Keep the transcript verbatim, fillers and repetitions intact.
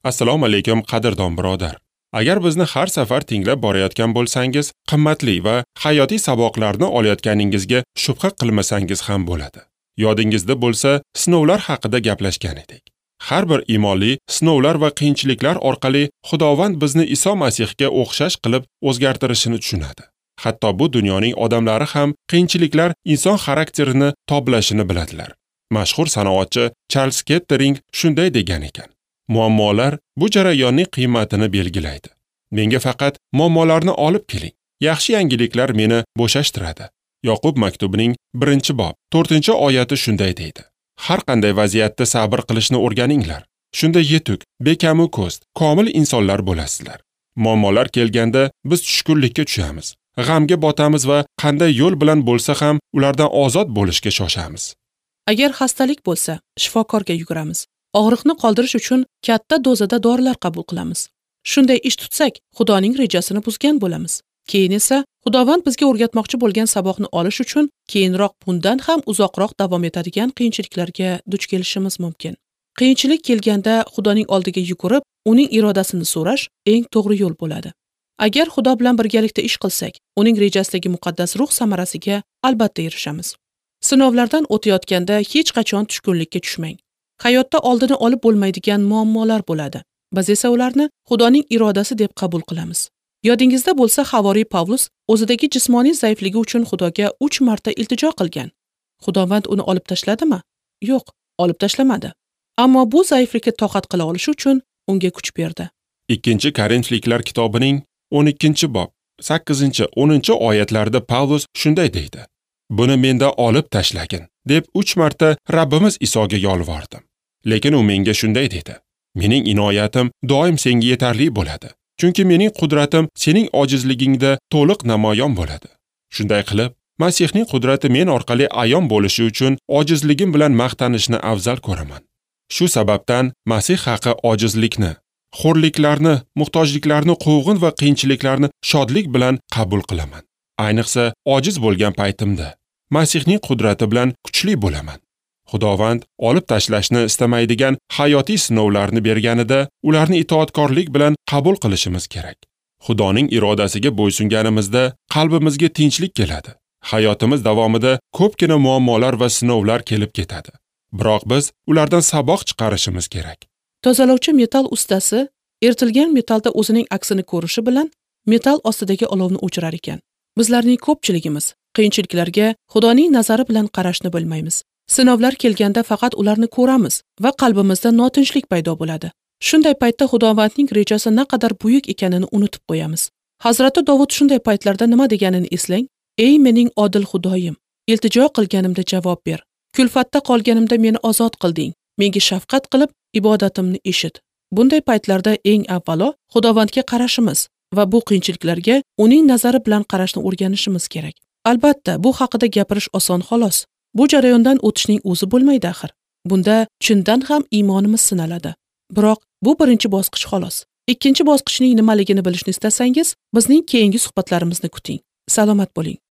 Assalomu alaykum qadrdon birodar. Agar bizni har safar tinglab borayotgan bo'lsangiz, qimmatli va hayotiy saboqlarni olayotganingizga shubha qilmasangiz ham bo'ladi. Yodingizda bo'lsa, sinovlar haqida gaplashgan edik. Har bir iymonli sinovlar va qiyinchiliklar orqali Xudovand bizni Iso Masihga o'xshash qilib o'zgartirishini tushunadi. Hatto bu dunyoning odamlari ham qiyinchiliklar inson xarakterini toblashini biladilar. Mashhur sanoatchi Charles Kettering shunday degan ekan: muammolar bu jarayonning qiymatini belgilaydi. Menga faqat muammolarni olib keling. Yaxshi yangiliklar meni bo'shashtiradi. Yoqub maktubining birinchi bob to'rtinchi oyati shunday deydi: har qanday vaziyatda sabr qilishni o'rganinglar. Shunda yetuk, bekamu ko'z, komil insonlar bo'lasizlar. Muammolar kelganda biz tushkunlikka tushamiz, g'amga botamiz va qanday yo'l bilan bo'lsa ham ulardan ozod bo'lishga shoshamiz. Agar xastalik bo'lsa, shifokorga yuguramiz. Og'riqni qoldirish uchun katta dozada dorilar qabul qilamiz. Shunday ish tutsak, Xudoning rejasini buzgan bo'lamiz. Keyin esa Xudovand bizga o'rgatmoqchi bo'lgan saboqni olish uchun keyinroq bundan ham uzoqroq davom etadigan qiyinchiliklarga duch kelishimiz mumkin. Qiyinchilik kelganda Xudoning oldiga yugurib, uning irodasini so'rash eng to'g'ri yo'l bo'ladi. Agar Xudo bilan birgalikda ish qilsak, uning rejasidagi muqaddas ruh samarasiga albatta erishamiz. Sinovlardan o'tayotganda hech qachon tushkunlikka tushmang. Hayotda oldini olib bo'lmaydigan muammolar bo'ladi. Biz esa ularni Xudoning irodasi deb qabul qilamiz. Yodingizda bo'lsa, havoriy Pavlus o'zidagi jismoniy zaifligi uchun Xudoga uch marta iltijo qilgan. Xudovand uni olib tashladimi? Yo'q, olib tashlamadi. Ammo bu zaiflikka toqat qila olishi uchun unga kuch berdi. Ikkinchi Korinfliklar kitobining o'n ikkinchi bob sakkizinchi o'ninchi oyatlarida Pavlus shunday deydi: buni mendan olib tashlagin deb uch marta Rabbimiz Isoga yolvordim. Lekin u menga shunday dedi: mening inoyatim doim senga yetarli bo'ladi. Chunki mening qudratim sening ojizligingda to'liq namoyon bo'ladi. Shunday qilib, Masihning qudrati men orqali ayon bo'lishi uchun ojizligim bilan maqtanishni afzal ko'raman. Shu sababdan Masih haqi ojizlikni, xo'rliklarni, muhtojliklarni, quvg'in va qiyinchiliklarni shodlik bilan qabul qilaman. Ayniqsa, ojiz bo'lgan paytimda Masihning qudrati bilan kuchli bo'laman. Xudovand olib tashlashni istamaydigan hayotiy sinovlarni berganida ularni itoatkorlik bilan qabul qilishimiz kerak. Xudoning irodasiga bo'ysunganimizda qalbimizga tinchlik keladi. Hayotimiz davomida ko'pgina muammolar va sinovlar kelib ketadi. Biroq biz ulardan saboq chiqarishimiz kerak. Tozalovchi metal ustasi eritilgan metalda o'zining aksini ko'rishi bilan metal ostidagi olovni o'chirar ekan. Bizlarning ko'pchiligimiz qiyinchiliklarga Xudoning nazari bilan qarashni bilmaymiz. Sinovlar kelganda faqat ularni ko'ramiz va qalbimizda notinchlik paydo bo'ladi. Shunday paytda Xudovandning rejasi naqadar buyuk ekanini unutib qo'yamiz. Hazrati Dovud shunday paytlarda nima deganini eslang: "Ey mening odil Xudoyim, iltijo qilganimda javob ber. Kulfatda qolganimda meni ozod qilding. Menga shafqat qilib ibodatimni eshit." Bunday paytlarda eng avvalo Xudovandga qarashimiz va bu qiyinchiliklarga uning nazari bilan qarashni o'rganishimiz kerak. Albatta, bu haqida gapirish oson xolos. Bu jarayondan o'tishning o'zi bo'lmaydi axir. Bunda chindan ham iymonimiz sinaladi. Biroq bu birinchi bosqich xolos. Ikkinchi bosqichning nimaligini bilishni istasangiz, bizning keyingi suhbatlarimizni kuting. Salomat bo'ling.